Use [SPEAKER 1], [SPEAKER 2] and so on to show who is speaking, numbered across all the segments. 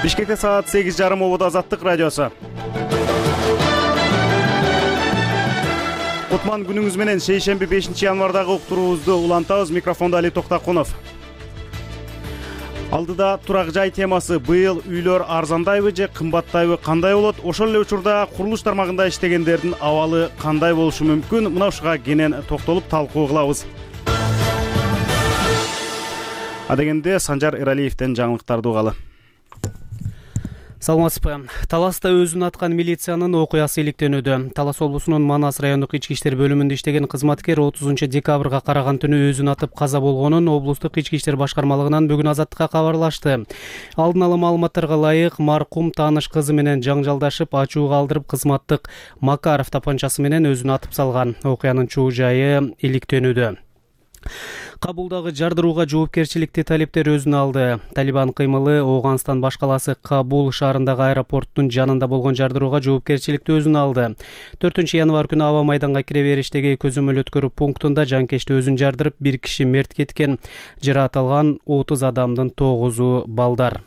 [SPEAKER 1] Бишкекте саат 8:30 болот. Азаттык радиосу. Кутман күнүңүз менен шейшемби 5-январдагы уктуруубузду улантабыз. Микрофондо Али Токтакунов. Алдыда турак жай темасы. Быйыл үйлөр арзандайбы же кымбаттайбы, кандай болот? Ошол эле учурда курулуш тармагында иштегендердин абалы кандай болушу мүмкүн? Мына ушуга кенен токтолуп талкуу кылабыз. Адегенде Санжар Эралиевден жаңылыктарды угалы.
[SPEAKER 2] Саламатсызбы. Таласта өзүн аткан милициянын окуясы иликтенүүдө. Талас облусунун Манас райондук ички иштер бөлүмүндө иштеген кызматкер 30-декабрга караган түнү өзүн атып каза болгонун облустук ички иштер башкармалыгынан бүгүн Азаттыкка кабарлашты. Алдын ала маалыматтарга ылайык, маркум тааныш кызы менен жаңжалдашып, ачуу калтырып, кызматтык Макаров тапанчасы менен өзүн атып салган. Окуянын чоо жайы иликтенүүдө. Кабулдагы жардырууга жоопкерчиликти талептер өзүнө алды. Талибан кыймылы Ооганстан баш калаасы Кабул шаарындагы аэропорттун жанында болгон жардырууга жоопкерчиликти өзүнө алды. 4-январ күнү аба майданга кире бериштеги көзөмөл өткөрүү пунктунда жанкечти өзүн жардырып, бир киши мерт кеткен. Жаракат алган 30 адамдын 9-у балдар.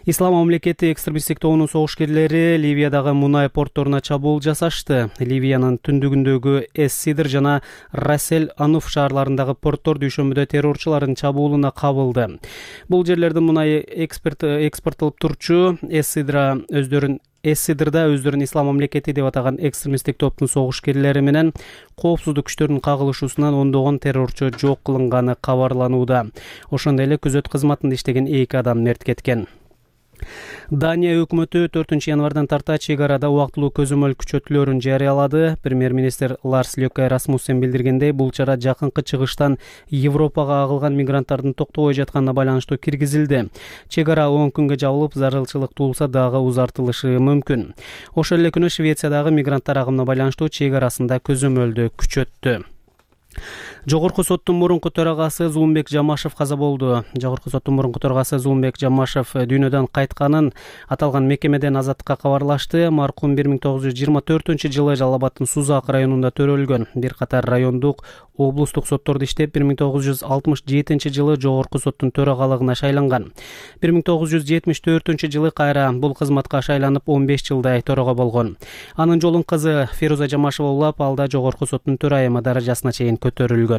[SPEAKER 2] Ислам мамлекети экстремисттик тобунун согушкерлери Ливиядагы мунай портторуна чабуул жасашты. Ливиянын түндүгүндөгү Эс-Сидр жана Расел-Ануф шаарларындагы порттор дүйшөмбүдө террорчулардын чабуулуна кабылды. Бул жерлердин мунай экспорттолуп турчу Эс-Сидрда өздөрүн Ислам мамлекети деп атаган экстремисттик топтун согушкерлери менен коопсуздук күчтөрүнүн кагылышуусунан ондогон террорчу жок кылынганы кабарланууда. Ошондой эле күзөт кызматында иштеген 2 адам мерт кеткен. Дания өкмөтү 4-январдан тарта чек арада убактылуу көзөмөл күчөтүүлөрүн жарыялады. Премьер-министр Ларс Лёке Расмуссен билдиргендей, бул чара жакынкы чыгыштан Европага агылган мигранттардын токтобой жатканына байланыштуу киргизилди. Чек ара 10 күнгө жабылып, зарылчылык туулса дагы узартылышы мүмкүн. Ошол эле күнү Швециядагы мигранттар агымына байланыштуу чек арасында көзөмөлдү күчөттү. Жогорку соттун мурунку төрагасы Зулумбек Жамашев каза болду. Жогорку соттун мурунку төрагасы Зулумбек Жамашев дүйнөдөн кайтканын аталган мекемеден Азаттыкка кабарлашты. Маркум 1924-жылы Жалал Абаддын Сузак районунда төрөлгөн. Бир катар райондук, облустук соттордо иштеп, 1967-жылы жогорку соттун төрагалыгына шайланган. 1974-жылы кайра бул кызматка шайланып 15 жылдай төрага болгон. Анын жолун кызы Феруза Жамашева улап, алда жогорку соттун төрайымы даражасына чейин көтөрүлгөн.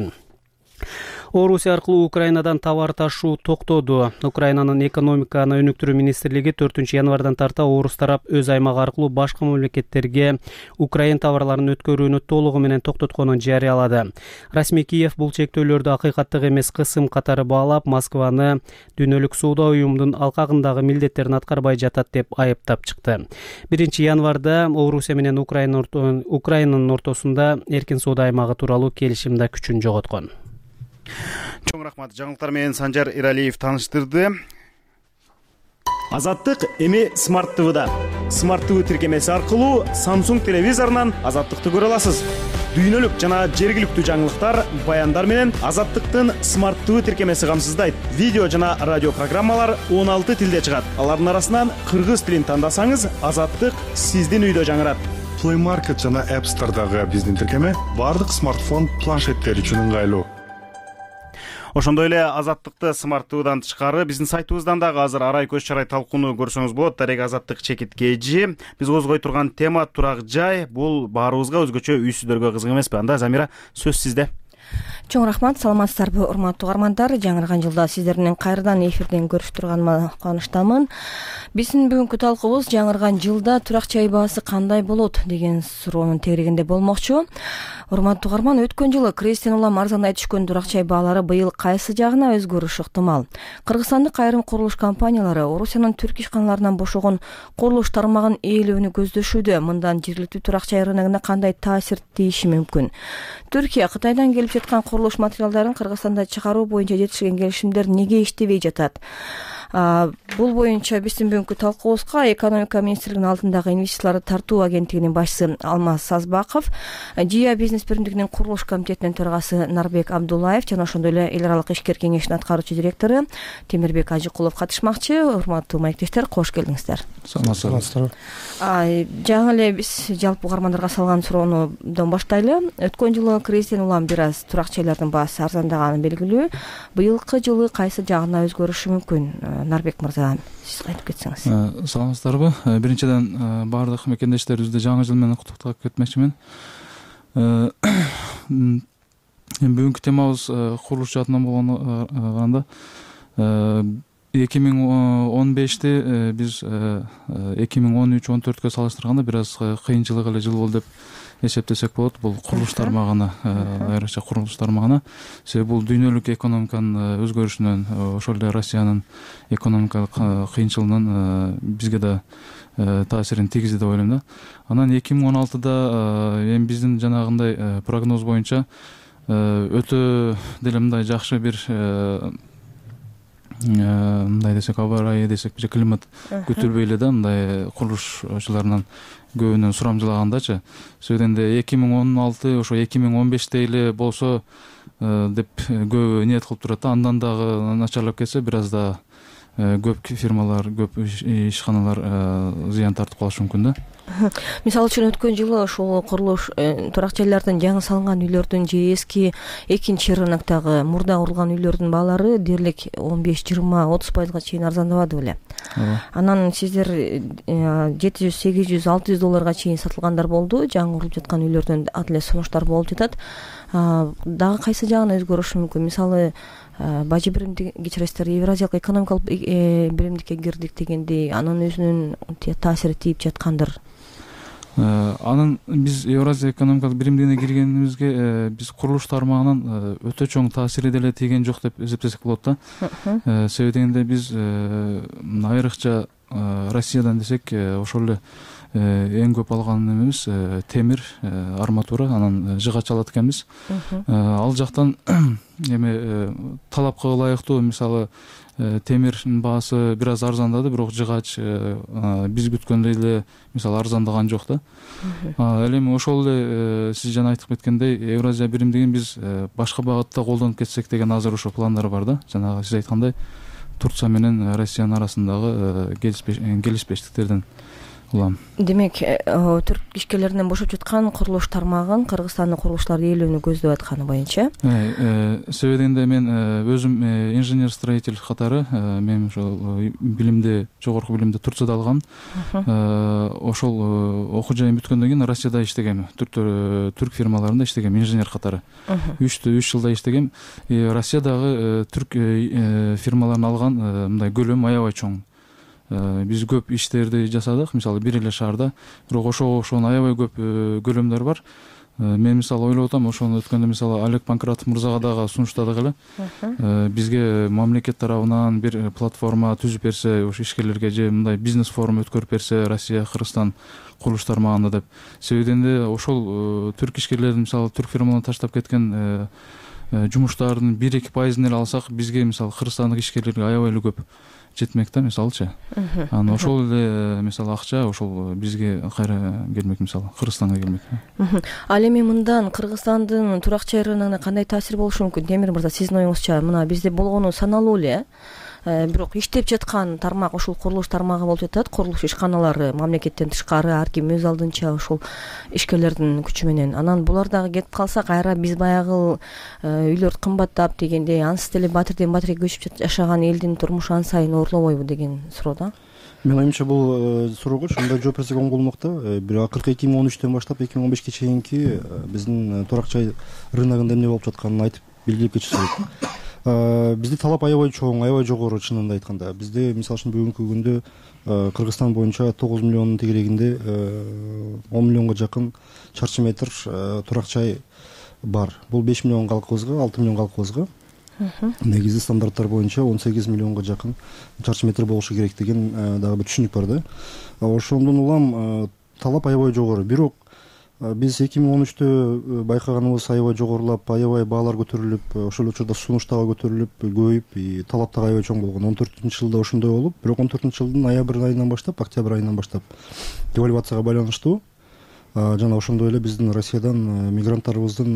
[SPEAKER 2] Орусия аркылуу Украинадан товар ташуу токтоду. Украинанын экономиканы өнүктүрүү министрлиги 4-январдан тарта орус тарап өз аймагы аркылуу башка мамлекеттерге Украин товарларын өткөрүүнү толугу менен токтотконун жарыялады. Расмий Киев бул чектөөлөрдү акыйкаттык эмес кысым катары баалап, Москваны дүйнөлүк соода уюмунун алкагындагы милдеттерин аткарбай жатат деп айыптап чыкты. 1-январда Орусия менен Украинанын ортосунда эркин соода аймагы тууралуу келишим да күчүн жоготкон.
[SPEAKER 1] Чоң рахмат. Жаңылыктар менен Санжар Эралиев тааныштырды. Азаттык эми Smart TV'да. Smart TV тиркемеси аркылуу Samsung телевизорунан Азаттыкты көрө аласыз. Дүйнөлүк жана жергиликтүү жаңылыктар, баяндар менен Азаттыктын Smart TV тиркемеси камсыздайт. Видео жана радио программалар 16 тилде чыгат. Алардын арасынан кыргыз тилин тандасаңыз, Азаттык сиздин үйдө жаңырат.
[SPEAKER 3] Play Market жана App Store'дагы биздин тиркеме бардык смартфон, планшеттер үчүн ыңгайлуу.
[SPEAKER 1] Ошондой эле Азаттыкты Smart TV'дан тышкары биздин сайтыбыздан дагы азыр арай көз чарай талкууну көрсөңүз болот. Дарек Азаттык чекиткейжи. Биз козгой турган тема турак жай. Бул баарыбызга өзгөчө үйсүздөргө кызык эмеспи? Анда Замира, сөз сизде.
[SPEAKER 4] Чоң рахмат, саламатсыздарбы урматтуу угармандар. Жаңырган жылда сиздер менен кайрадан эфирден көрүшүп турганыма кубанычтамын. Биздин бүгүнкү талкуубуз жаңырган жылда турак жай баасы кандай болот деген суроонун тегерегинде болмокчу. Урматтуу угарман, өткөн жылы крейстен улам арзандай түшкөн турак жай баалары быйыл кайсы жагына өзгөрүшү ыктымал? Кыргызстандык айрым курулуш компаниялары Орусиянын түрк ишканаларынан бошогон курулуш тармагын ээлөөнү көздөшүүдө. Мындан жергиликтүү турак жай рыногуна кандай таасир тийиши мүмкүн? Түркия Кытайдан келип жаткан курулуш материалдарын Кыргызстанда чыгаруу боюнча жетишкен келишимдер неге иштебей жатат? Бул боюнча биздин бүгүнкү талкуубузга экономика министрлигинин алдындагы инвестицияларды тартуу агенттигинин башчысы Алмаз Сазбаков, Жия бизнес биримдигинин курулуш комитетинин төрагасы Нарбек Абдуллаев жана ошондой эле эл аралык ишкер кеңешинин аткаруучу директору Темирбек Ажыкулов катышмакчы. Урматтуу маектештер, кош келиңиздер.
[SPEAKER 3] Саламатсыздар.
[SPEAKER 4] Жаңы эле биз жалпы угармандарга салган суроонудон баштайлы. Өткөн жылы кризистен улам бир аз турак жайлардын баасы арзандаганы белгилүү. Быйылкы жылы кайсы жагына өзгөрүшү мүмкүн? Нарбек мырза, сиз айтып кетсеңиз.
[SPEAKER 5] Саламатсыздарбы? Биринчиден баардык мекендештерибизди жаңы жыл менен куттуктап кетмекчимин. Бүгүнкү темабыз курулуш жаатынан болгондо 2015-ти биз 2013-14-кө салыштырганда бир аз кыйынчылык эле жыл болду деп эсептесек болот. Бул курулуш тармагына, айрыкча курулуш тармагына. Себеби бул дүйнөлүк экономиканын өзгөрүшүнөн, ошол эле Россиянын экономикалык кыйынчылыгынан бизге да таасирин тийгизди деп ойлойм да. Анан 2016-да эми биздин жанагындай прогноз боюнча өтө деле мындай жакшы бир мындай десек, аба ырайы десек, же климат күтүлбөй эле да, мындай курулушчуларынан көбүнөн сурамжылагандачы. Сөйденде 2016 ошо 2015-те эле болсо деп көбү ниет кылып турат да. Андан дагы начарлап кетсе бир аз да көп фирмалар, көп ишканалар зыян тартып калышы мүмкүн да.
[SPEAKER 4] Мисалы үчүн өткөн жылы ошол курулуш турак жайлардын жаңы салынган үйлөрдүн же эски экинчи рыноктогу мурда курулган үйлөрдүн баалары дээрлик 15-20-30% чейин арзандабады беле. Анан сиздер 700, 800, 600 долларга чейин сатылгандар болду. Жаңы курулуп жаткан үйлөрдөн ал эле сунуштар болуп жатат. Дагы кайсы жагын өзгөрүшү мүмкүн? Мисалы бажы биримди кечиресиздер, Евразиялык экономикалык биримдикке кирдик дегендей, анын өзүнүн таасири тийип жаткандыр.
[SPEAKER 5] Анын биз Евразия экономикалык биримдигине киргенибизге биз курулуш тармагынан өтө чоң таасири деле тийген жок деп эсептесек болот да. Себеби дегенде биз айрыкча Россиядан десек ошол эле эң көп алган эмебиз темир, арматура, анан жыгач алат экенбиз. Ал жактан эми талапка ылайыктуу, мисалы темирдин баасы бир аз арзандады, бирок жыгач биз күткөндөй эле мисалы арзандаган жок да. Ал эми ошол эле сиз жана айтып кеткендей Евразия биримдигин биз башка багытта колдонуп кетсек деген азыр ошо пландар бар да. Жанагы сиз айткандай Турция менен Россиянын арасындагы келишпештиктерден улам.
[SPEAKER 4] Демек, түрк ишкерлеринен бошоп жаткан курулуш тармагын Кыргызстандын курулушчулары ээлөөнү көздөп атканы боюнча.
[SPEAKER 5] Себеби дегенде мен өзүм инженер-строитель катары, мен ошол билимди, жогорку билимди Турцияда алгам. Ошол окуу жайым бүткөндөн кийин Россияда иштегем, түрк фирмаларында иштегем, инженер катары. 3 жылда иштегем. Россиядагы түрк фирмаларын алган мындай көлөм аябай чоң. Биз көп иштерди жасадык, мисалы бир эле шаарда, бирок ошонун аябай көп көлөмдөр бар. Мен мисалы ойлоп атам, ошону өткөндө мисалы Олег Панкратов мырзага дагы сунуштадык эле. Бизге мамлекет тарабынан бир платформа түзүп берсе, ошо ишкерлерге же мындай бизнес форум өткөрүп берсе, Россия, Кыргызстан курулуш тармагында деп. Себебинде ошол түрк ишкерлердин мисалы түрк фирмаларына таштап кеткен жумуштардын 1-2% эле алсак, бизге мисалы Кыргызстандык ишкерлерге аябай эле көп жетмек да, мисалычы. Анан ошол эле мисалы акча ошол бизге кайра келмек, мисалы Кыргызстанга келмек.
[SPEAKER 4] Ал эми мындан Кыргызстандын турак жай рыногуна кандай таасир болушу мүмкүн? Темир мырза, сиздин оюңузча, мына бизде болгону саналуу эле, бирок иштеп жаткан тармак ошол курулуш тармагы болуп жатат. Курулуш ишканалары мамлекеттен тышкары ар ким өз алдынча ошол ишкерлердин күчү менен. Анан булар дагы кетип калса, кайра биз баягы үйлөр кымбаттап дегендей, ансыз деле батирден батирге көчүп жашаган элдин турмушу ан сайын оорлобойбу деген суроо да.
[SPEAKER 6] Мен оюмча бул суроого ушундай жооп берсек оң болмок да. Бир акыркы 2013-төн баштап 2015-ке чейинки биздин турак жай рыногунда эмне болуп жатканын айтып белгилеп кетиш керек. Бизде талап аябай чоң, аябай жогору, чынында айтканда. Бизде мисалы үчүн бүгүнкү күндө Кыргызстан боюнча 9 миллиондун тегерегинде 10 миллионго жакын чарчы метр турак жай бар. Бул 5 миллион калкыбызга, 6 миллион калкыбызга. Негизи стандарттар боюнча 18 миллионго жакын чарчы метр болушу керек деген дагы бир түшүнүк бар да. Ошондон улам талап аябай жогору. Бирок биз 2013-тө байкаганыбыз аябай жогорулап, аябай баалар көтөрүлүп, ошол учурда сунуш дагы көтөрүлүп, көбөйүп, талап дагы аябай чоң болгон. 14-жылда ошондой болуп, бирок 14-жылдын ноябрь айынан баштап, октябрь айынан баштап девальвацияга байланыштуу жана ошондой эле биздин Россиядан мигранттарыбыздын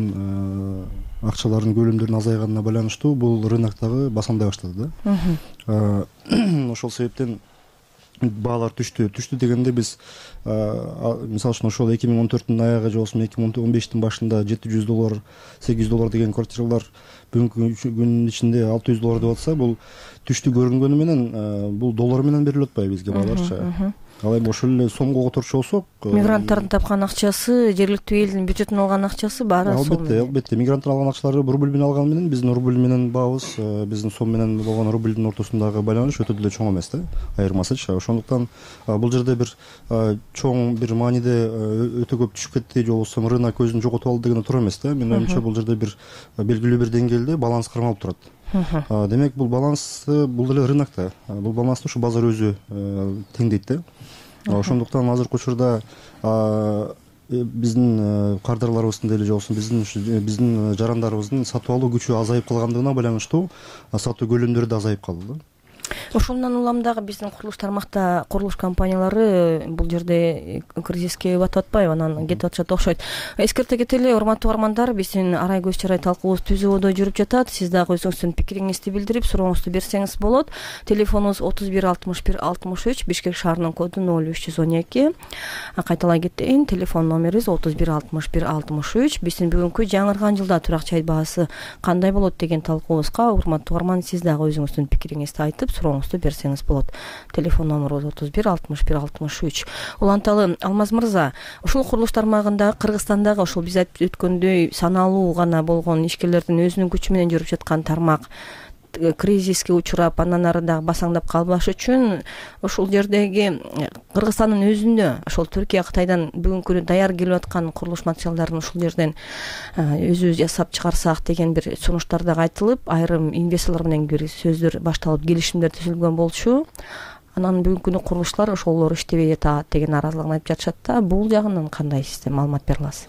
[SPEAKER 6] акчаларынын көлөмдөрүнүн азайганына байланыштуу бул рыноктогу басамдай баштады да. Ошол себептен баалар түштү дегенде биз мисалы үчүн ошол 2014 аягы же болбосо 2015 башында $700 $800 деген квартиралар бүгүнкү күнүн ичинде $600 деп атса, бул түштү көрүнгөнү менен бул доллар менен берилип атпайбы бизге бааларчы. Ал эми ошол эле сомго которчу болсок,
[SPEAKER 4] мигранттардын тапкан акчасы, жергиликтүү элдин бюджетинен алган акчасы баары сом.
[SPEAKER 6] Албетте, мигранттар алган акчалары рубль менен алганы менен биздин рубль менен баабыз, биздин сом менен болгон рубльдин ортосундагы байланыш өтө деле чоң эмес да, айырмасычы. Ошондуктан бул жерде бир чоң бир мааниде өтө көп түшүп кетти же болбосо рынок көзүн жоготуп алды деген туура эмес да. Менин оюмча бул жерде бир белгилүү бир деңгээлде баланс кармалып турат. Демек бул балансты бул деле рынокто, бул балансты ушу базар өзү теңдейт да. Ошондуктан азыркы учурда биздин кардарларыбыздын деле же болбосо биздин жарандарыбыздын сатып алуу күчү азайып калгандыгына байланыштуу сатуу көлөмдөрү да азайып калды.
[SPEAKER 4] Ошондон улам дагы биздин курулуш тармакта курулуш компаниялары бул жерде кризиске батып атпайбы, анан кетип атышат окшойт. Эскерте кетели, урматтуу угармандар, биздин арай көз чарай талкуубуз түзүүдө жүрүп жатат. Сиз дагы өзүңүздүн пикириңизди билдирип, сурооңузду берсеңиз болот. Телефонубуз 31 61 63, Бишкек шаарынын коду 0312. Кайталай кетейин, телефон номерибиз 31 61 63. Биздин бүгүнкү жаңырган жылда турак чай баасы кандай болот деген талкуубузга урматтуу угарман, сиз дагы өзүңүздүн пикириңизди айтып, сурооңузду берсеңиз болот. Телефон номерибиз 31 61 63. Уланталы Алмаз мырза, ушул курулуш тармагында Кыргызстандагы ошол биз айтып өткөндөй саналуу гана болгон ишкерлердин өзүнүн күчү менен жүрүп жаткан тармак кризиске учурап, андан ары дагы басаңдап калбаш үчүн ошол жердеги Кыргызстандын өзүндө ошол Түркия, Кытайдан бүгүнкү күнү даяр келип аткан курулуш материалдарын ушул жерден өзүбүз жасап чыгарсак деген бир сунуштар дагы айтылып, айрым инвесторлор менен бир сөздөр башталып, келишимдер түзүлгөн болчу. Анан бүгүнкү күнү курулуштар ошолор иштебей атат деген нааразылыгын айтып жатышат да. Бул жагынан кандай систем маалымат бере аласыз?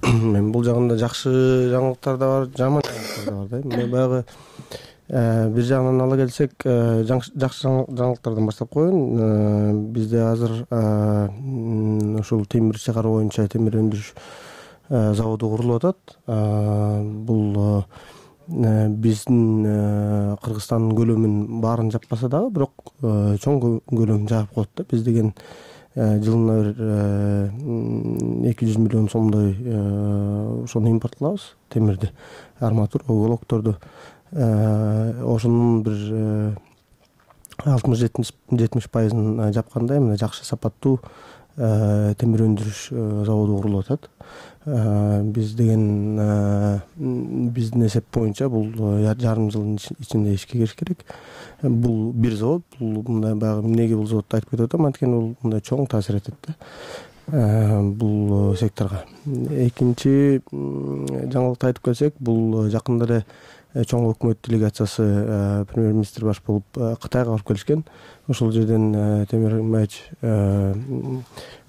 [SPEAKER 7] Мен бул жагында жакшы жаңылыктар да бар, жаман жаңылыктар да бар да. Мен баягы бир жагынан ала келсек, жакшы жаңылыктардан баштап коеюн. Бизде азыр ушул темир чыгаруу боюнча темир өндүрүш заводу курулуп атат. Бул биздин Кыргызстандын көлөмүн баарын жаппаса дагы, бирок чоң көлөмүн жаап коет да. Биз деген жылына 200 миллион сомдой ошону импорт кылабыз, темирди, арматура, уголокторду. Ошонун бир 60-70% жапкандай мына жакшы сапаттуу темир өндүрүш заводу курулуп атат. Биз деген биздин эсеп боюнча бул жарым жылдын ичинде ишке кириш керек. Бул бир завод, бул мындай баягы эмнеге бул заводду айтып кетип атам, анткени бул мындай чоң таасир этет да бул секторго. Экинчи жаңылыкты айтып келсек, бул жакында эле чоң өкмөт делегациясы премьер-министр баш болуп Кытайга барып келишкен. Ошол жерден Темир Имаевич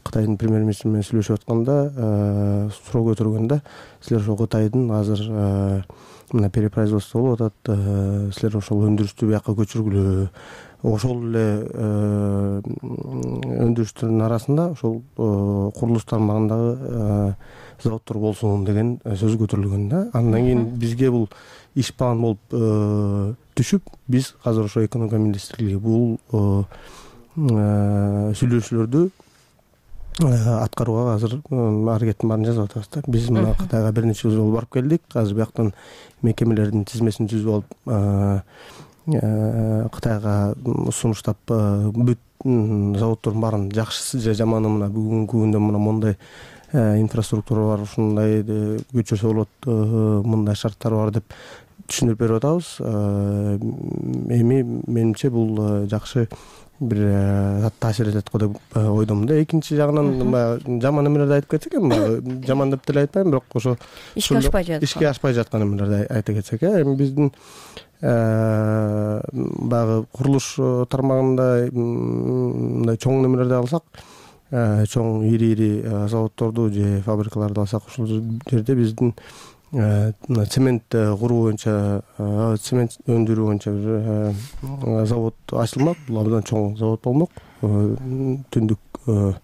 [SPEAKER 7] Кытайдын премьер-министри менен сүйлөшүп атканда суроо көтөргөндө, силер ошол Кытайдын азыр мына перепроизводство болуп атат, силер ошол өндүрүштү бияка көчүргүлө. Ошол эле өндүрүштөрдүн арасында ошол курулуш тармагындагы заводдор болсун деген сөз көтөрүлгөн да. Андан кийин бизге бул иш план болуп түшүп, биз азыр ошо экономика министрлиги бул сүйлөшүүлөрдү аткарууга азыр аракеттин баарын жасап атабыз да. Биз мына Кытайга бир нече жолу барып келдик. Азыр бияктан мекемелердин тизмесин түзүп алып Кытайга сунуштап бүт заводдордун баарын жакшысы же жаманы мына бүгүнкү күндө мына мондай инфраструктура бар, ушундай көчөрсө болот, мындай шарттар бар деп түшүндүрүп берип атабыз. Эми менимче бул жакшы бир таасир этет го деп ойдомун да. Экинчи жагынан жаман эмелерди айтып кетсек, эми жаман деп деле айтпайм, бирок ошо ишке ашпай жаткан эмелерди айта кетсек, эми биздин баягы курулуш тармагында мындай чоң немелерди алсак, чоң ири заводдорду же фабрикаларды алсак, ошол жерде биздин цемент куруу боюнча, цемент өндүрүү боюнча бир завод ачылмак. Бул абдан чоң завод болмок түндүктө.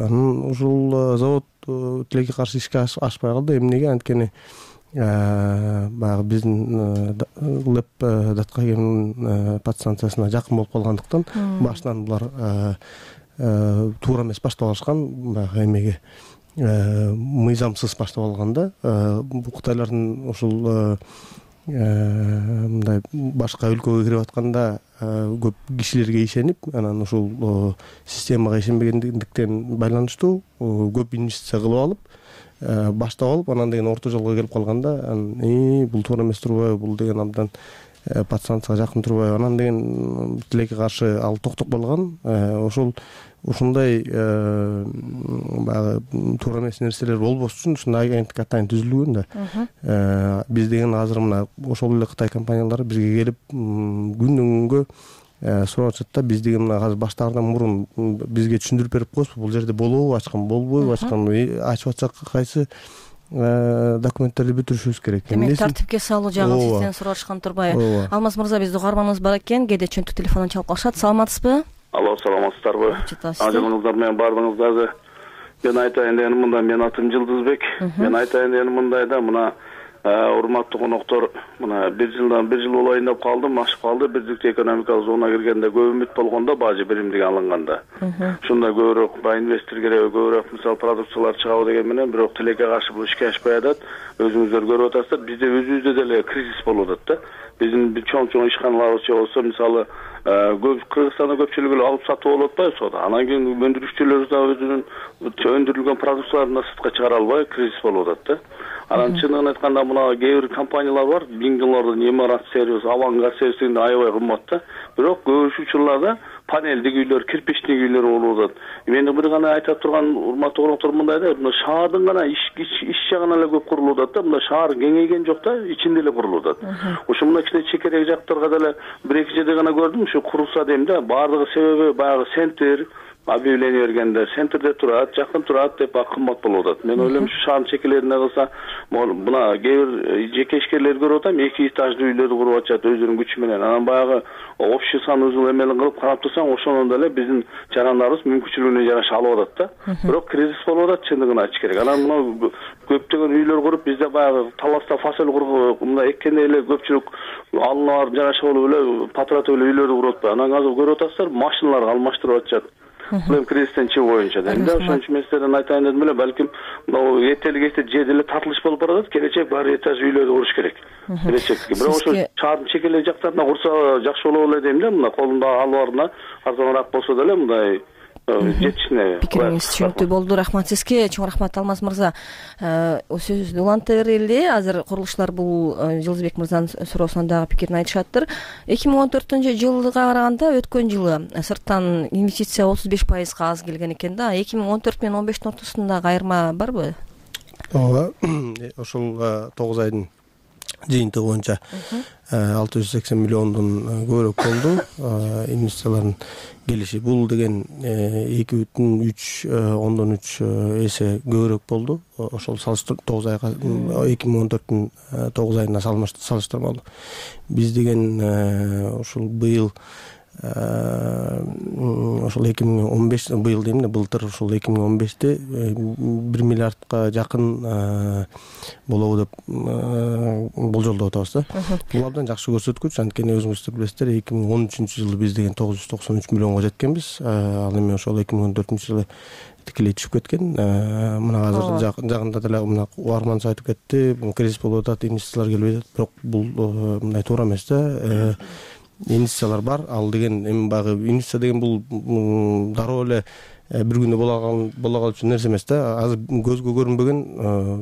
[SPEAKER 7] Анан ушул завод тилекке каршы ишке ашпай калды. Эмнеге? Анткени баягы биздин ЛЭП Даткаемдин подстанциясына жакын болуп калгандыктан башынан булар туура эмес баштап алышкан, баягы эмеге мыйзамсыз баштап алган да. Кытайлардын ушул мындай башка өлкөгө кирип атканда көп кишилерге ишенип, анан ушул системага ишенбегендиктен байланыштуу көп инвестиция кылып алып баштап алып, анан деген орто жолго келип калганда бул туура эмес турбайбы, бул деген абдан подстанцияга жакын турбайбы, анан деген тилекке каршы ал токтоп калган. Ушундай баягы туура эмес нерселер болбош үчүн ушундай агенттик атайын түзүлгөн да. Биз деген азыр мына ошол эле Кытай компаниялары бизге келип күндөн күнгө сурап атышат да, биз деген мына азыр баштаардан мурун бизге түшүндүрүп берип коесузбу, бул жерде болобу ачкан, болбойбу ачкан, ачып атсак кайсы документтерди бүтүрүшүбүз керек.
[SPEAKER 4] Демек тартипке салуу жагын сизден сурап атышкан турбайбы? Алмаз мырза, биздин угарманыбыз бар экен, кээде чөнтүк телефондон чалып калышат. Саламатсызбы?
[SPEAKER 8] Алло, саламатсыздарбы? Ажыңыздар менен баардыгыңыздарга мен айтайын дегеним мындай, мен атым Жылдызбек. Мен айтайын дегеним мындай да, мына урматтуу коноктор, мына 1 жыл болоюн деп калдым, ашып калды. Бирдиктүү экономикалык зона киргенде көп үмүт болгондо, бажы биримдиги алынганда. Ушундай көбүрөөк инвестор керек, көбүрөөк мисалы продукциялар чыгабы деген менен, бирок тилекке каршы бул ишке ашпай атат. Өзүңүздөр көрүп атасыздар, бизде өзүбүздө деле кризис болуп атат да. Биздин чоң ишканаларыбызча болсо, мисалы Кыргызстанда көпчүлүгү алып сатып болуп атпайбы соода. Анан кийин өндүрүшчүлөр да өзүнүн өндүрүлгөн продукцияларын да сыртка чыгара албай кризис болуп атат да. Анан чынын айтканда мына кээ бир компаниялар бар, $1000 Эмират сервис, Авангард сервис дегенде аябай кымбат да. Бирок көп учурларда панелдик үйлөр, кирпичтик үйлөр болуп атат. Мен бир гана айтып турган урматтуу коноктор мындай да, мына шаардын гана иш жагынан эле көп курулуп атат да. Мына шаар кеңейген жок да, ичинде эле курулуп атат. Ошо мына кичине чекерек жактарга деле 1-2 жерде гана көрдүм, ушу курулса дейм да. Баардыгы себеби баягы центр объявление бергенде центрде турат, жакын турат деп кымбат болуп атат. Мен ойлойм ушу шаардын чекелерине кылса, мына кээ бир жеке ишкерлер көрүп атам, 2 этаждуу үйлөрдү куруп атышат өзүнүн күчү менен. Анан баягы общий санузел эмелин кылып карап турсаң, ошондон деле биздин жарандарыбыз мүмкүнчүлүгүнө жараша алып атат да. Бирок кризис болуп атат, чындыгын айтыш керек. Анан мына көптөгөн үйлөр куруп, бизде баягы таласта фасөл куруп, мына эккенде эле көпчүлүк алыналар жараша болуп эле патратып эле үйлөрдү куруп атпайбы. Анан азыр көрүп атасыздар, машиналарды алмаштырып атышат. Бул кризистен чыгуу боюнча дейм да. Ошон үчүн мен сиздерден айтайын дедим эле, балким могу этелик же деле тартылыш болуп баратат, келечек баары этаж үйлөрдү куруш керек. Келечекти. Бирок ошо шаардын чекелек жактарына курса жакшы болот эле дейм да. Мына колунда албарына арзаныраак болсо деле мындай жетишине.
[SPEAKER 4] Пикириңиз түшүнүктүү болду. Рахмат сизге. Чоң рахмат Алмаз мырза. Сөздү уланта берели. Азыр курулушчулар бул Жылдызбек мырзанын суроосуна дагы пикирин айтышаттыр. 2014-жылга караганда өткөн жылы сырттан инвестиция 35% аз келген экен да. 2014 менен 15-тин ортосунда айырма барбы?
[SPEAKER 7] Ооба. Ошол 9 айдын жыйынтыгы боюнча 680 миллиондон көбүрөөк болду инвестициялардын келиши. Бул деген 2,3 эсе көбүрөөк болду. Ошол 9 айга 2014-түн 9 айына салыштырмалуу. Биз деген ушул быйыл ошол 2015 быйыл дейм да, былтыр ушул 2015-те 1 миллиардка жакын болобу деп болжолдоп атабыз да. Бул абдан жакшы көрсөткүч. Анткени өзүңүздөр билесиздер, 2013-жылы биз деген 993 миллионго жеткенбиз. Ал эми ошол 2014-жылы тикелей түшүп кеткен. Мына азыр жакында деле мына угарманыбыз айтып кетти, кризис болуп атат, инвестициялар келбей атат. Бирок бул мындай туура эмес да. Инвестициялар бар. Ал деген эми баягы инвестиция деген бул дароо эле бир күндө бола калчу нерсе эмес да. Азыр көзгө көрүнбөгөн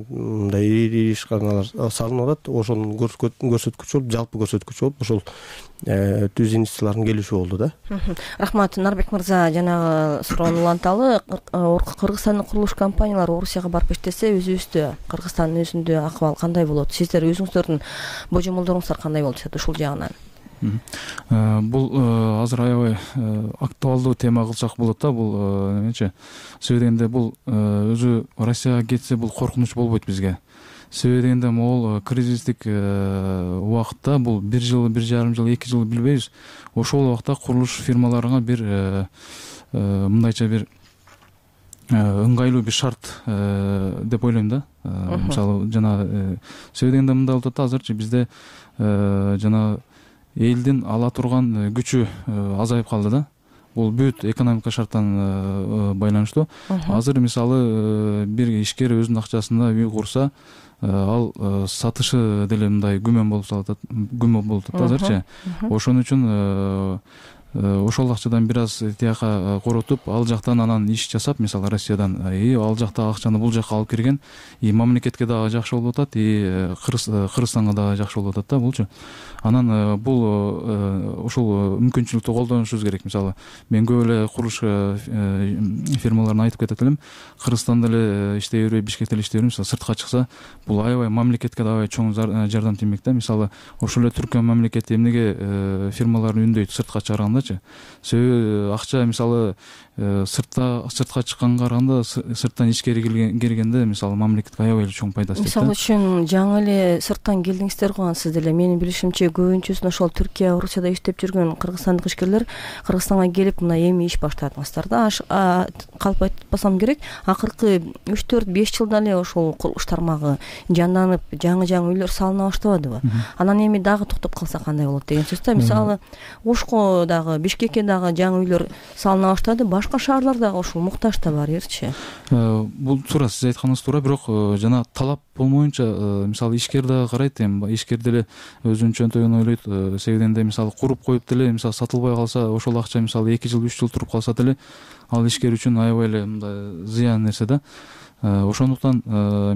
[SPEAKER 7] мындай ири ишканалар салынып атат. Ошонун көрсөткүчү болуп, жалпы көрсөткүчү болуп, ошол түз инвестициялардын келиши болду да.
[SPEAKER 4] Рахмат Нарбек мырза. Жанагы суроону уланталы. Кыргызстандын курулуш компаниялары Орусияга барып иштесе, өзүбүздө Кыргызстандын өзүндө акыбал кандай болот? Сиздер өзүңүздөрдүн божомолдоруңуздар кандай болуп жатат ушул жагынан?
[SPEAKER 5] Бул азыр аябай актуалдуу тема кылсак болот да. Бул эмечи? Себеби дегенде бул өзү Россияга кетсе бул коркунуч болбойт бизге. Себеби дегенде могул кризистик убакытта бул 1 жыл, 1,5 жыл, 2 жыл билбейбиз. Ошол убакта курулуш фирмаларына бир мындайча бир ыңгайлуу бир шарт деп ойлойм да. Мисалы жана себеби дегенде мындай болуп атат да, азырчы бизде жана элдин ала турган күчү азайып калды да. Бул бүт экономика шарттан байланыштуу. Азыр мисалы бир ишкер өзүнүн акчасында үй курса, ал сатышы деле мындай күмөн болуп атат азырчы. Ошон үчүн ошол акчадан бир аз тияка коротуп, ал жактан анан иш жасап, мисалы Россиядан ал жактагы акчаны бул жакка алып кирген, мамлекетке дагы жакшы болуп атат, Кыргызстанга дагы жакшы болуп атат да булчу. Анан бул ошол мүмкүнчүлүктү колдонушубуз керек. Мисалы мен көп эле курулуш фирмаларын айтып кетет элем. Кыргызстанда эле иштей бербей, Бишкекте эле иштей бербей, мисалы сыртка чыкса, бул аябай мамлекетке аябай чоң жардам тиймек да. Мисалы ошол эле Түркия мамлекети эмнеге фирмаларын үндөйт сыртка чыгаргандачы? Себеби акча мисалы сыртка чыкканга караганда сырттан ичкери киргенде мисалы мамлекетке аябай эле чоң пайдасы тиет.
[SPEAKER 4] Мисалы үчүн жаңы эле сырттан келдиңиздер го, сиз деле. Менин билишимче көбүнчөсүн ошол Түркия, Орусияда иштеп жүргөн кыргызстандык ишкерлер Кыргызстанга келип мына эми иш баштадыңыздар да. Калп айтпасам керек, акыркы 3-4-5 жылда эле ошол курулуш тармагы жанданып, жаңы үйлөр салына баштабадыбы? Анан эми дагы токтоп калса кандай болот деген сөз да. Мисалы Ошко дагы, Бишкекке дагы жаңы үйлөр салына баштады, башка шаарларда ошол муктаж да барырчы.
[SPEAKER 5] Бул туура, сиз айтканыңыз туура, бирок жана талап болмоюнча, мисалы ишкер дагы карайт, эми ишкер деле өзүнүн чөнтөгүн ойлойт. Себеби дегенде мисалы куруп коюп деле, мисалы сатылбай калса, ошол акча мисалы 2 жыл 3 жыл туруп калса деле, ал ишкер үчүн аябай эле мындай зыян нерсе да. Ошондуктан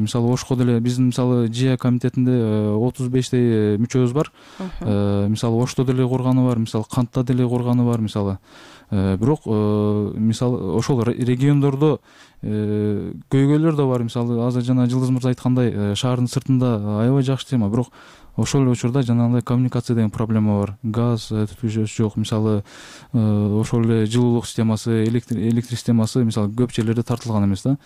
[SPEAKER 5] мисалы Ошко деле биздин мисалы ЖИА комитетинде 35 мүчөбүз бар. Мисалы Ошто деле курганы бар, мисалы Кантта деле курганы бар, мисалы. Бирок мисалы ошол региондордо көйгөйлөр да бар. Мисалы азыр жана Жылдыз мырза айткандай, шаардын сыртында аябай жакшы тема, бирок ошол эле учурда жанагындай коммуникация деген проблема бар. Газ түтүшөсү жок. Мисалы ошол эле жылуулук системасы, электр системасы мисалы көп жерлерде тартылган эмес да.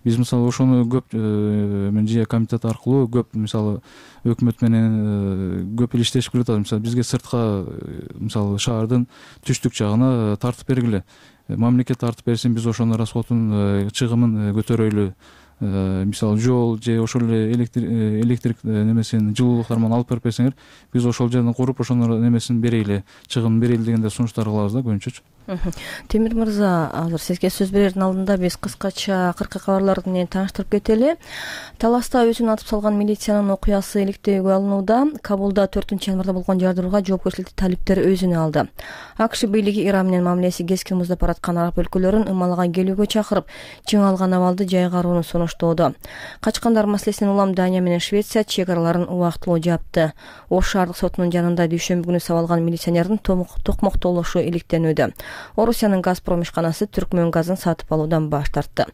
[SPEAKER 5] Биз мисалы ошону көп ЖИА комитети аркылуу көп мисалы өкмөт менен көп эле иштешип келатат. Мисалы бизге сыртка мисалы шаардын түштүк жагына тартып бергиле. Мамлекет тартып берсин, биз ошонун расходун чыгымын көтөрөйлү. Мисалы жол же ошол эле электрик немесин жылуулук тармагын алып берип берсеңер, биз ошол жерден куруп ошонун немесин берейли, чыгымын берейли дегенде сунуштар кылабыз да көбүнчөчү.
[SPEAKER 4] Темир мырза, азыр сизге сөз берердин алдында биз кыскача акыркы кабарларды менен тааныштырып кетели. Таласта өзүн атып салган милициянын окуясы иликтөөгө алынууда. Кабулда 4-январда болгон жардырууга жоопкерчиликти талиптер өзүнө алды. АКШ бийлиги Иран менен мамилеси кескин муздап бараткан араб өлкөлөрүн ымалга келүүгө чакырып, чың алган абалды жайгарууну сунуштоодо. Качкандар маселесинен улам Дания менен Швеция чек араларын убактылуу жапты. Ош шаардык сотунун жанында дүйшөмбү күнү сабалган милиционердин токмоктолушу иликтенүүдө. Орусиянын Газпром ишканасы Түркмөн газын сатып алуудан баш тартты.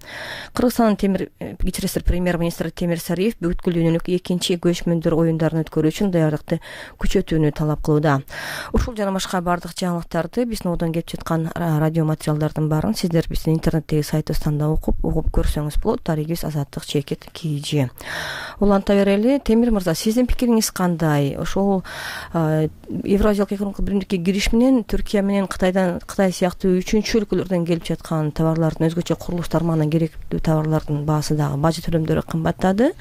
[SPEAKER 4] Кыргызстандын премьер-министри Темир Сариев бүткүл дүйнөлүк 2-чи көчмөндөр оюндарын өткөрүү үчүн даярдыкты күчөтүүнү талап кылууда. Ушул жана башка бардык жаңылыктарды биздин одон келип жаткан радио материалдардын баарын сиздер биздин интернеттеги сайтыбыздан да угуп көрсөңүз болот. Таригибиз Азаттык чекит КЖ. Уланта берели. Темир мырза, сиздин пикириңиз кандай? Ошол Евразиялык экономикалык биримдикке кириш менен Түркия менен Кытай сыяктуу 3-чү өлкөлөрдөн келип жаткан товарлардын, өзгөчө курулуш тармагына керектүү товарлардын баасы дагы бажы төлөмдөрү кымбаттады.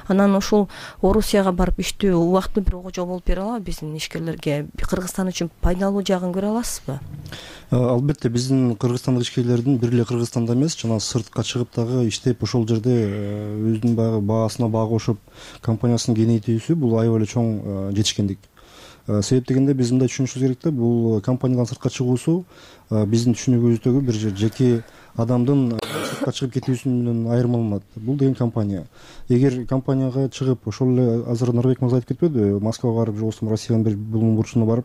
[SPEAKER 4] Анан ушул Орусияга барып иштөө убактылуу бир ого жол болуп бере алабы биздин ишкерлерге? Кыргызстан үчүн пайдалуу жагын көрө аласызбы?
[SPEAKER 6] Албетте, биздин кыргызстандык ишкерлердин бир эле Кыргызстанда эмес, жана сыртка чыгып дагы иштеп ошол жерде өзүнүн баасына баа кошуп компаниясын кеңейтүүсү бул аябай эле чоң жетишкендик. Себеп дегенде биз мындай түшүнүшүбүз керек да, бул компаниядан сыртка чыгуусу биздин түшүнүгүбүздөгү бир жеке адамдын сыртка чыгып кетүүсүнөн айырмаланат. Бул деген компания. Эгер компанияга чыгып, ошол эле азыр Нурбек мырза айтып кетпедиби, Москвага барып же болбосо Россиянын бир булуң бурчуна барып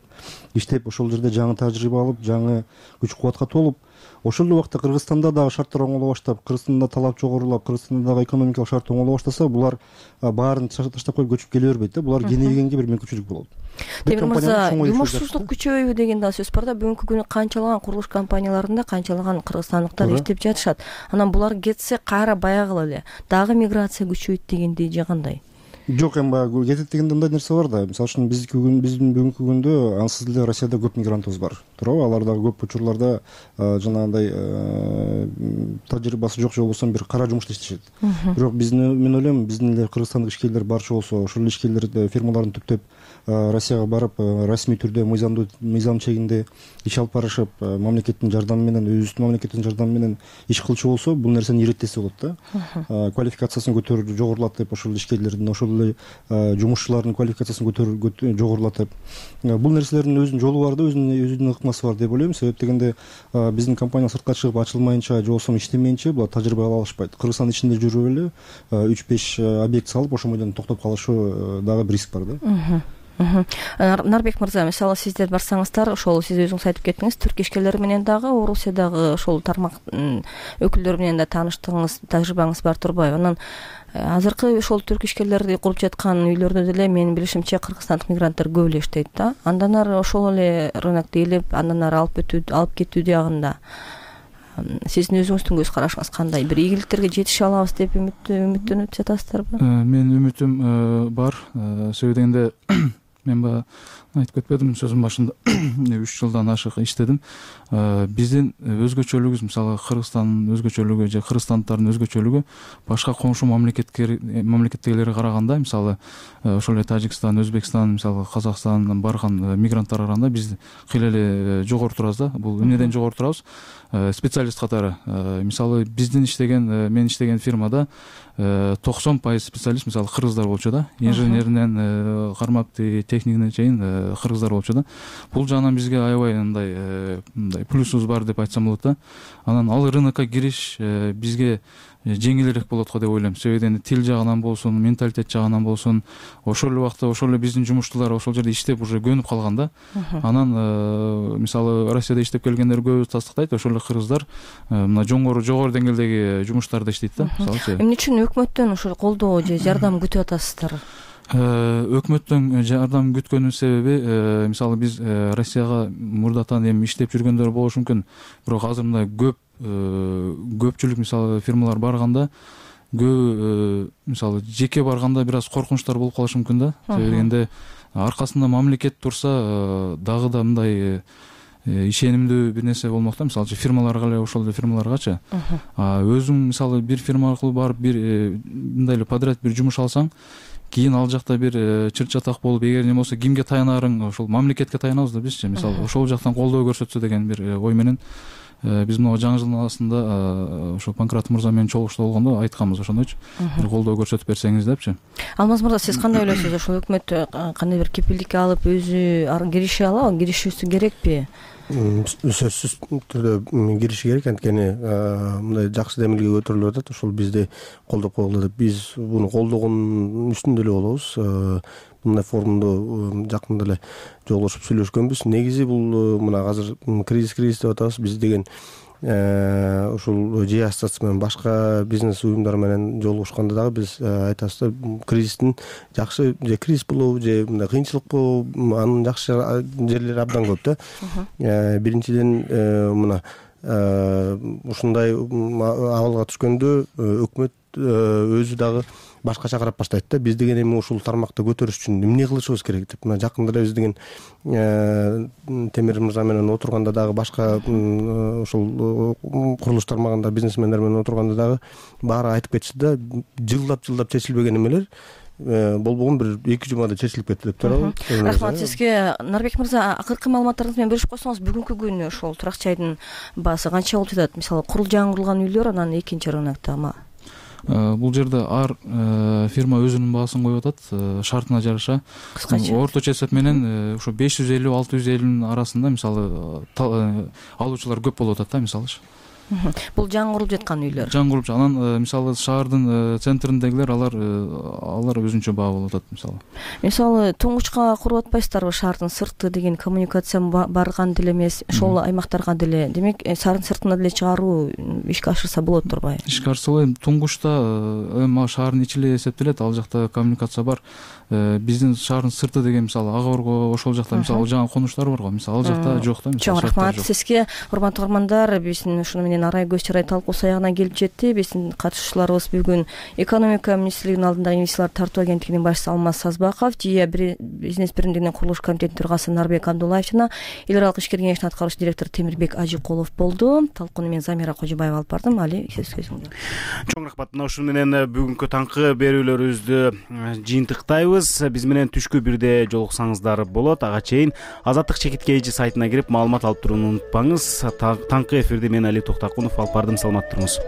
[SPEAKER 6] иштеп, ошол жерде жаңы тажрыйба алып, жаңы күч кубатка толуп, ошол эле убакта Кыргызстанда дагы шарттар оңоло баштап, Кыргызстанда талап жогорулап, Кыргызстанда дагы экономикалык шарт оңоло баштаса, булар баарын таштап коюп көчүп келе бербейт да. Булар кенейгенге бир мүмкүнчүлүк болот.
[SPEAKER 4] Темир мырза, жумушсуздук күчөбөйбү деген да сөз бар да. Бүгүнкү күнү канчалаган курулуш компанияларында канчалаган кыргызстандыктар иштеп жатышат. Анан булар кетсе кайра баягыла эле дагы миграция күчөйт дегендей же кандай?
[SPEAKER 6] жок, эми баягы кетет дегенде мындай нерсе бар да. Мисалы үчүн биздин бүгүнкү күндө ансыз деле Россияда көп мигрантыбыз бар, туурабы? Алар дагы көп учурларда жанагындай тажрыйбасы жок же болбосо бир кара жумушта иштешет. Бирок мен ойлойм, биздин эле кыргызстандык ишкерлер барчу болсо, ошол эле ишкерлер фирмаларын түптөп Россияга барып, расмий түрдө мыйзам чегинде иш алып барышып, мамлекеттин жардамы менен, өзүбүздүн мамлекеттин жардамы менен иш кылчу болсо, бул нерсени иреттесе болот да. Квалификациясын жогорулатып, ошол ишкерлердин, ошол эле жумушчулардын квалификациясын жогорулатып, бул нерселердин өзүнүн жолу бар да, өзүнүн ыкмасы бар деп ойлойм. Себеп дегенде биздин компания сыртка чыгып ачылмайынча же болбосо иштемейинче булар тажрыйба ала алышпайт. Кыргызстан ичинде жүрүп эле 3-5 объект салып, ошол бойдон токтоп калышы дагы бир риск бар да.
[SPEAKER 4] Нарбек мырза, мисалы сиздер барсаңыздар, ошол сиз өзүңүз айтып кеттиңиз, түрк ишкерлери менен дагы, Орусиядагы ошол тармак өкүлдөрү менен да тааныштыгыңыз, тажрыйбаңыз бар турбайбы? Анан азыркы ошол түрк ишкерлери куруп жаткан үйлөрдө деле менин билишимче кыргызстандык мигранттар көп эле иштейт да. Андан ары ошол эле рынокто ээлеп, андан ары алып кетүү дагында сиздин өзүңүздүн көз карашыңыз кандай? Бир ийгиликтерге жетише алабыз деп үмүттөнүп жатасыздарбы?
[SPEAKER 5] Менин үмүтүм бар. Себеби дегенде мен баягы айтып кетпедимби сөзүмдүн башында, 3 жылдан ашык иштедим. Биздин өзгөчөлүгүбүз, мисалы Кыргызстандын өзгөчөлүгү же кыргызстандыктардын өзгөчөлүгү башка коңшу мамлекеттегилерге караганда, мисалы ошол эле Тажикстан, Өзбекстан, мисалы Казакстандан барган мигранттарга караганда биз кыйла эле жогору турабыз да. Бул эмнеден жогору турабыз? Специалист катары. Мисалы мен иштеген фирмада 90% специалист мисалы кыргыздар болчу да. Инженеринен кармап техникине чейин кыргыздар болчу да. Бул жагынан бизге аябай мындай плюсубуз бар деп айтсам болот да. Анан ал рынокко кириш бизге жеңилирээк болот го деп ойлойм. Себеби тил жагынан болсун, менталитет жагынан болсун, ошол эле убакта ошол эле биздин жумуштуулар ошол жерде иштеп уже көнүп калган да. Анан мисалы Россияда иштеп келгендер көбү тастыктайт, ошол эле кыргыздар мына жогору деңгээлдеги жумуштарда иштейт да. Мисалы
[SPEAKER 4] эмне үчүн өкмөттөн ошол колдоо же жардам күтүп атасыздар?
[SPEAKER 5] Өкмөттөн жардам күткөнүн себеби, мисалы биз Россияга мурдатан эми иштеп жүргөндөр болушу мүмкүн, бирок азыр мындай көпчүлүк мисалы фирмалар барганда көбү мисалы жеке барганда бир аз коркунучтар болуп калышы мүмкүн да. Себеби дегенде аркасында мамлекет турса дагы да мындай ишенимдүү бир нерсе болмок да. Мисалы фирмаларга эле, ошол эле фирмаларгачы. Өзүң мисалы бир фирма аркылуу барып бир мындай эле подряд бир жумуш алсаң, кийин ал жакта бир чыр-чатак болуп, эгер не болсо кимге таянарың, ошол мамлекетке таянабыз да бизчи. Мисалы ошол жактан колдоо көрсөтсө деген бир ой менен биз могу жаңы жылдын арасында ошо Панкрат мырза менен чогулушта болгондо айтканбыз ошондойчу. Бир колдоо көрсөтүп берсеңиз депчи.
[SPEAKER 4] Алмаз мырза, сиз кандай ойлойсуз? Ошол өкмөт кандай бир кепилдик алып өзү киреше алабы, киришүүсү керекпи?
[SPEAKER 7] Сөзсүз түрдө кириши керек, анткени мындай жакшы демилге көтөрүлүп атат. Ошол бизди колдоп койгула деп биз буну колдогондун үстүндө эле болобуз. Мындай форумдо жакында эле жолугушуп сүйлөшкөнбүз. Негизи бул мына азыр кризис деп атабыз. Биз деген ушул же ассоциация менен башка бизнес уюмдар менен жолугушканда дагы биз айтабыз да, кризистин жакшы же кризис болобу же мындай кыйынчылык болобу, анын жакшы жерлери абдан көп да. Биринчиден мына ушундай абалга түшкөндө өкмөт өзү дагы башкача карап баштайт да. Биз деген эми ушул тармакты көтөрүш үчүн эмне кылышыбыз керек деп. Мына жакында эле биз деген Темир мырза менен отурганда дагы башка ошол курулуш тармагында бизнесмендер менен отурганда дагы баары айтып кетишти да, жылдап чечилбеген эмелер болбогон бир 2 жумада чечилип кетти деп турабы.
[SPEAKER 4] Рахмат сизге. Нарбек мырза, акыркы маалыматтарыңыз менен бөлүшүп койсоңуз, бүгүнкү күнү ошол турак жайдын баасы канча болуп жатат? Мисалы жаңы курулган үйлөр, анан экинчи рынокто
[SPEAKER 5] бул жерде ар фирма өзүнүн баасын коюп атат, шартына жараша. Орточо эсеп менен ошо 550-650 арасында мисалы алуучулар көп болуп атат да, мисалычы.
[SPEAKER 4] Бул жаңы курулуп жаткан үйлөр.
[SPEAKER 5] Жаңы курулуп, анан мисалы шаардын центриндегилер алар өзүнчө баа болуп атат мисалы.
[SPEAKER 4] Мисалы туңгучка куруп атпайсыздарбы? Шаардын сырты деген коммуникация барган деле эмес, ошол аймактарга деле. Демек, шаардын сыртына деле чыгаруу ишке ашырса болот турбайбы?
[SPEAKER 5] Ишке ашырса, туңгучта эми шаардын ичи эле эсептелет, ал жакта коммуникация бар. Биздин шаардын сырты деген мисалы Ага Орго, ошол жакта мисалы жаңы конуштар бар го, мисалы ал жакта жок да.
[SPEAKER 4] Чоң рахмат сизге, урматтуу угармандар. Биздин ушуну менен менен арай көз чарай талкуусу аягына келип жетти. Биздин катышуучуларыбыз бүгүн экономика министрлигинин алдындагы инвестициялар тартуу агенттигинин башчысы Алмаз Сазбаков, ЖИА бизнес биримдигинин курулуш комитетинин төрагасы Нарбек Абдуллаев жана эл аралык ишкер кеңешинин аткаруучу директору Темирбек Ажикулов болду. Талкууну мен Замира Кожобаева алып бардым. Али, сөз өзүңдө.
[SPEAKER 1] Чоң рахмат. Мына ушун менен бүгүнкү таңкы берүүлөрүбүздү жыйынтыктайбыз. Биз менен түшкү бирде жолуксаңыздар болот. Ага чейин Азаттык чекит KG сайтына кирип маалымат алып турууну унутпаңыз. Таңкы эфирди мен Али Токтакунов алып бардым. Саламат туруңуз.